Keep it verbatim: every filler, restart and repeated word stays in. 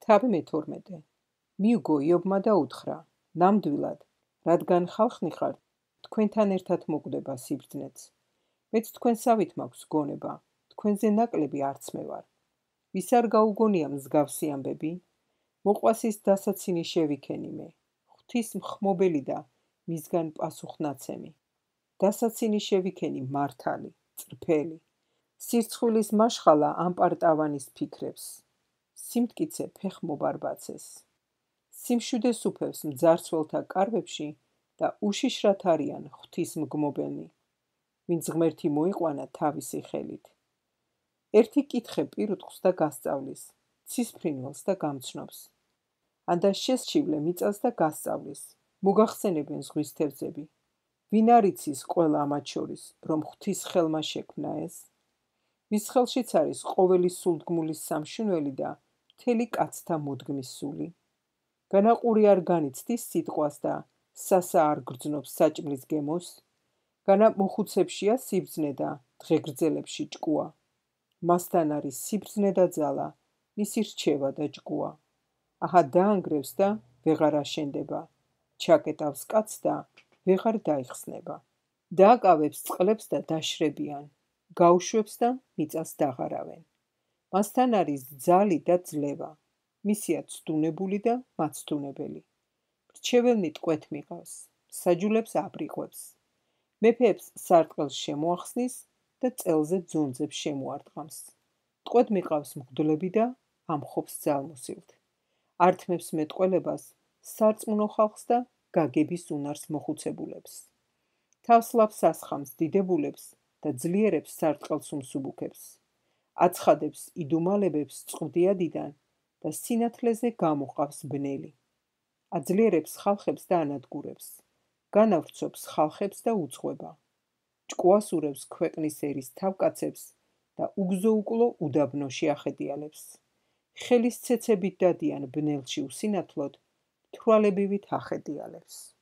თავი მეთორმეტე. მიუგო იობმა და უთხრა, ნამდვილად, რადგან ხალხნი ხართ, თქვენთან ერთად მოკვდება სიბრძნეც. მეც თქვენსავით მაქვს გონება, თქვენზე ნაკლები არც მე ვარ. ვის არ გაუგონია მსგავსი ამბები? მოყვას ის დასაცინი შევიქენი მე, ღვთის მხმობელი და მისგან პასუხნაცემი. დასაცინი შევიქენი მართალი, წრფელი. სირცხვილის მაშხალა ამპარტავანის ფიქრებს. სიმტკიცე ფეხ მობარბაცეს. სიმშვიდეს უფევს მძარცველთა კარვებში და უშიშრად არიან ღვთის მგმობელნი. ვინც ღმერთი მოიყვანა თავისი ხელით. ერთი კითხე პირუტყვს და გასწავლის, ცისფრინველს და გამცნობს. ანდა შესჩივლე მიწას და გასწავლის, მოგახსენებენ ზღვის თევზები. ვინ არ იცის ყველა ამათ შორის, რომ ღვთის ხელმა შექმნა ეს? ვის ხელშიც არის ყოველი სულდგმულის სამშინველი და მთელი კაცთა მოდგმის სული? განაყური არ განიცდის სიტყვას და სასა არ გრძნობს საჭმლის გემოს? განა მოხუცებშია სიბრძნე და დღეგრძელებში ჭკუა. მასთან არის სიბრძნე და ძალა, მისი რჩევა და ჭკუა. აჰა დაანგრევს და ვეღარ აშენდება, ჩაკეტავს კაცს და ვეღარ დაიხსნება. დააკავებს წყლებს და დაშრებიან, გაუშვებს და მიწას დაღარავენ. მასთან არის ძალი და ძლევა, მისია ცდუნებული და მაცდუნებელი. რჩეველნი ტყვეთ მიყავს, საჯულებს აბრიყვებს. მეფეებს სარტყელს შემოახსნის და წელზე ძონძებს შემოარტყამს. ტყვედ მიყავს მღვდლები და ამხობს ძალმოსილთ. ართმევს მეტყველებას სარწმუნო ხალხს და გაგების უნარს მოხუცებულებს. თავს ლავს ასხამს დიდებულებს და ძლიერებს სარტყელს უმსუბუქებს. აცხადებს იდუმალებებს წყვდიადიდან და სინათლეზე გამოყავს ბნელი. აძლიერებს ხალხებს და ანადგურებს. განავრცობს ხალხებს და უძღვება. ჭკუას ურევს ქვეყნის ერის თავკაცებს და უგზო-უკლო უდაბნოში ახედიალებს. ხელის ცეცებით დადიან ბნელში უსინათლოდ, თვალებივით ახედიალებს.